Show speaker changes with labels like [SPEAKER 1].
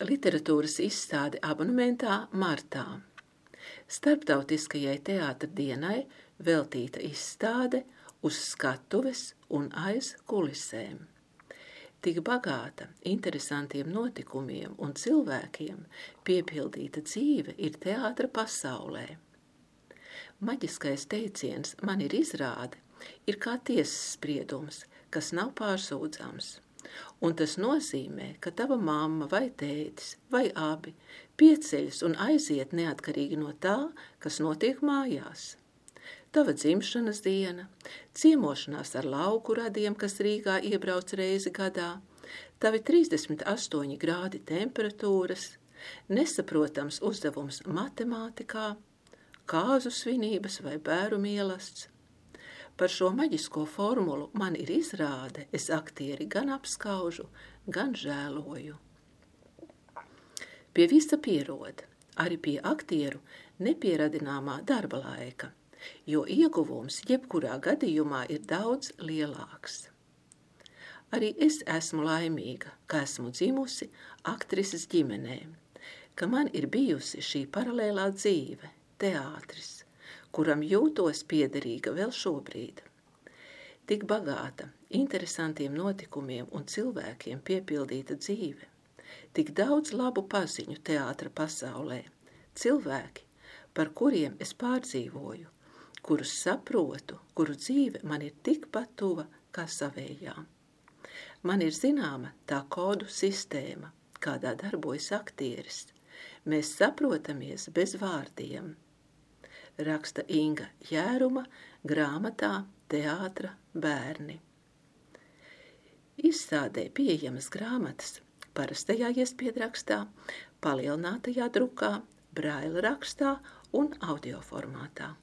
[SPEAKER 1] Literatūras izstāde abonementā martā. Starptautiskajai teātra dienai veltīta izstāde Uz skatuves un aiz kulisēm. Tik bagāta interesantiem notikumiem un cilvēkiem piepildīta dzīve ir teātra pasaulē. Maģiskais teiciens man ir izrāde ir kā tiesas spriedums, kas nav pārsūdzams. Un tas nozīmē, ka tava mamma vai tētis vai abi pieceļas un aiziet neatkarīgi no tā, kas notiek mājās. Tava dzimšanas diena, ciemošanās ar lauku radiem, kas Rīgā iebrauc reizi gadā, tavi 38 grādi temperatūras, nesaprotams uzdevums matemātikā, kāzu svinības vai bēru mielasts. Par šo maģisko formulu man ir izrāde, es aktieri gan apskaužu, gan žēloju. Pie visa pierod, arī pie aktieru nepieradināmā darba laika, jo ieguvums jebkurā gadījumā ir daudz lielāks. Arī es esmu laimīga, ka esmu dzimusi aktrises ģimenē, ka man ir bijusi šī paralēlā dzīve, teātris, kuram jūtos piederīga vēl šobrīd. Tik bagāta, interesantiem notikumiem un cilvēkiem piepildīta dzīve, tik daudz labu paziņu teātra pasaulē, cilvēki, par kuriem es pārdzīvoju, kurus saprotu, kuru dzīve man ir tikpat tuva kā savējā. Man ir zināma tā kodu sistēma, kādā darbojas aktieris. Mēs saprotamies bez vārdiem. Raksta Inga Jēruma grāmatā Teātra bērni. Izstādē pieejamas grāmatas parastajā iespiedrakstā, palielinātajā drukā, braila rakstā un audio formātā.